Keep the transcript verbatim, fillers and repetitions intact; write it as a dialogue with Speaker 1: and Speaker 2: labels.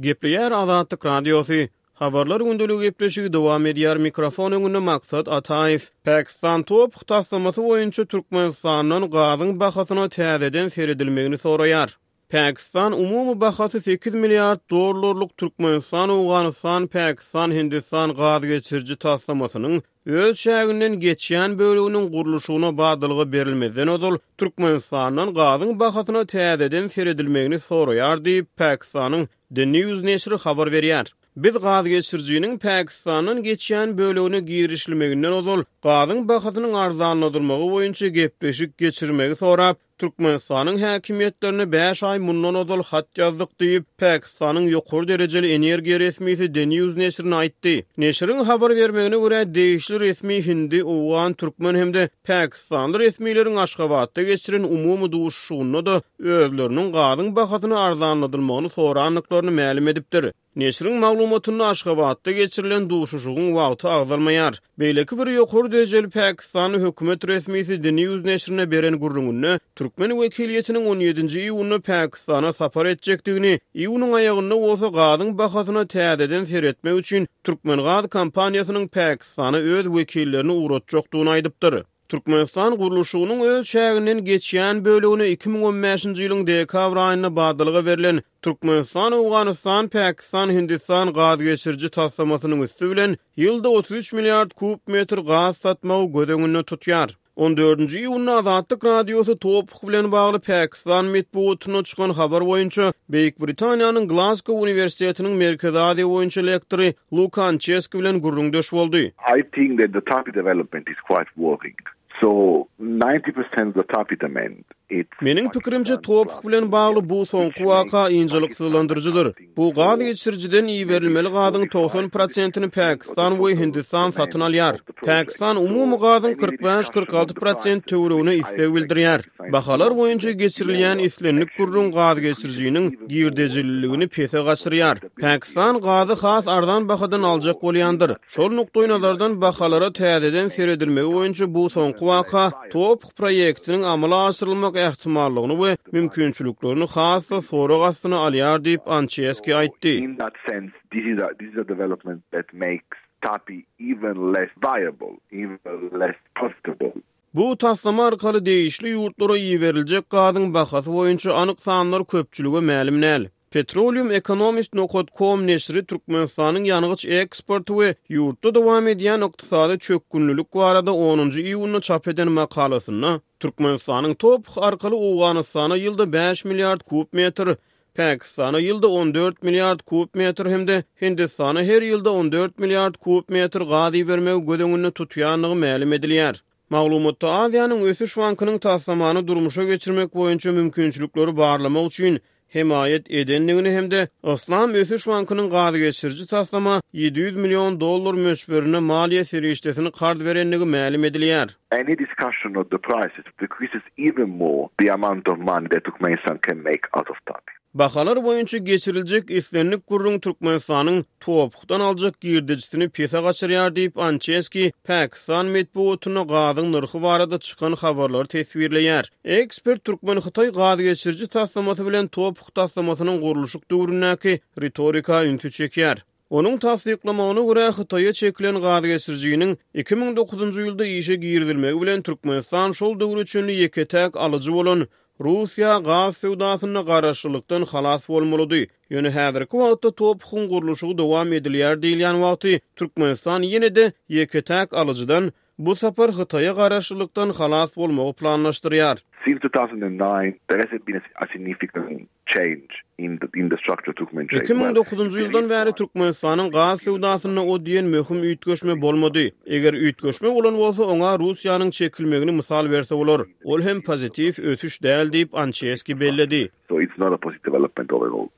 Speaker 1: Gepleýär Azatlyk Radiosy. Habarlar gündeligi gepleşigi dowam edýär. Mikrofon öňünde Maksat Ataýew. Pakistan TOPH taslamasy boýunça Türkmenistandan gazyň bahasyna täzeden seredilmegini soraýar. Pakistan umumy bahasy sekiz milliard dollarlyk Türkmenistan, Owganystan, Pakistan, Hindistan gaz geçiriji taslamasynyň öz çäginden geçýän böleginiň gurluşygyna badalga berilmezden ozal Türkmenistandan gazyň bahasyna täzeden seredilmegini soraýar diýip, Pakistanyň The News neşiri habar berýär. Biz gaz geçirijiniň Pakistandan geçýän bölegine girişilmeginden ozal gazyň bahasynyň arzanladylmagy boýunça gepleşik geçirmegi sorap, Türkmenistanyň häkimiýetlerine bäş aý mundan ozal hat ýazdyk diýip, Pakistanyň ýokary derejeli energiýa resmisi The News neşirine aýtdy. Neşiriň habar bermegine görä, degişli resmi hindi, owgan, türkmen hem-de pakistanly resmileriň Aşgabatda geçiren umumy duşuşygynda-da özleriniň gazyň bahasyny arzanladylmagyny sorandyklaryny mälim edipdir. Neşiriň maglumatynda Aşgabatda geçirilen duşuşygyň wagty agzalmaýar. Beýleki bir ýokary derejeli pakistanly hökümet resmisi The News neşirine beren gürrüňinde türkmen wekiliýetiniň on ýedinji iýunda Pakistana sapar etjekdigini, iýunyň aýagynda bolsa gazyň bahasyna täzeden seretmek üçin Türkmengaz kompaniýasynyň Pakistana öz wekillerini ugratjakdygyny aýdypdyr. Türkmenistan gurluşygynyň öz çäginden geçýän bölegine iki müň on bäşinji ýylyň dekabr aýynda badalga berlen Türkmenistan, Owganystan, Pakistan, Hindistan gaz geçiriji taslamasynyň üsti bilen ýylda otuz üç milliard kub metr gaz satmagy göz öňünde tutýar. On dördünji iýunda Azatlyk Radiosy TOPH bilen bagly Pakistan metbugatynda çykan habar boýunça Beýik Britaniýanyň Glasgow uniwersitetiniň Merkezi Aziýa boýunça lektory Luka Ançeski bilen gürrüňdeş boldy.
Speaker 2: I think that the TAPI development is quite worrying. So ninety percent of the TAPI demand it's
Speaker 1: Meniň pikirimçe, TOPH bilen bagly bu soňky waka ynjalyksyzlandyryjydyr. Bu gaz geçirijiden iberilmeli gazyň togsan prosentini Pakistan we Hindistan satyn alýar. Pakistan umumy gazyň kyrk bäş-kyrk alty prosent töweregine isleg bildirýär. Bahalar boýunça geçirilýän islendik gürrüň gaz geçirijiniň girdejililigini pese gaçyrýar. Pakistan gazy has arzan bahadan aljak bolýandyr. Şol nukdaýnazardan bahalara täzeden seredilmegi boýunça bu soňky waka TOPH proýektiniň amala aşyrylmak ähtimallygyny we mümkinçiliklerini has-da sorag astyna alýar diýip, Ançeski aýtdy.
Speaker 2: In that sense, this is a, this is a development that makes TAPI even less viable, even less profitable.
Speaker 1: Bu taslama arkaly degişli ýurtlara iberiljek gazyň bahasy boýunça anyk sanlar köpçülige mälim däl. Petroleum Economist nokta com neşiri Türkmenistanyň ýangyç eksporty we ýurtda dowam edýän ykdysady çökgünlilik barada onunjy iýunda çap eden makalasynda Türkmenistanyň TOPH arkaly Owganystana ýylda bäş milliard kub metr, Pakistana ýylda on dört milliard kub metr hem-de Hindistana her ýylda on dört milliard kub metr gaz ibermegi göz öňünde tutýandygy mälim edilýär. Maglumatda Aziýanyň Ösüş Bankynyň taslamany durmuşa geçirmek boýunça mümkinçilikleri barlamak üçin hemaýat edendigini hem-de Yslam Ösüş Bankynyň gaz geçiriji taslama ýedi ýüz million dollar möçberinde maliýe serişdesini karz berendigi mälim edilýär.
Speaker 2: Any discussion of the prices decreases even more the amount of money that Turkmenistan can make out of TAPI.
Speaker 1: Bahalar boýunça geçiriljek islendik gürrüň Türkmenistanyň TOPH-dan aljak girdejisini pese gaçyrýar diýip, Ançeski Pakistan metbugatynda gazyň nyrhy barada çykan habarlary teswirleýär. Ekspert Türkmen-Hytaý gaz geçiriji taslamasy bilen TOPH taslamasynyň gurluşyk döwründäki ritorika ünsi çekýär. Onuň tassyklamagyna görä, Hytaýa çekilen gaz geçirijiniň iki müň dokuzynjy ýylda işe girizilmegi bilen Türkmenistan şol döwre çenli ýeke-täk alyjy bolan Russiýa gaz söwdasynda garaşlylykdan halas bolmalydy. Ýöne häzirki wagtda TOPH-yň gurluşygy dowam edilýär diýilýän wagty Türkmenistan ýene-de ýeke-täk alyjydan bu sapar Hytaýa garaşlylykdan halas bolmagy planlaşdyrýar.
Speaker 2: Since two thousand and nine, there hasn't been a significant change in the, in the structure of Turkmen trade.
Speaker 1: Iki müň dokuzynjy ýyldan bäri Türkmenistanyň gaz söwdasynda o diýen möhüm üýtgeşme bolmady. Eger üýtgeşme bolan bolsa, oňa Russiýanyň çekilmegini mysal berse bolar. Ol hem pozitiw ösüş däl diýip, Ançeski belledi.
Speaker 2: So it's not a positive development overall.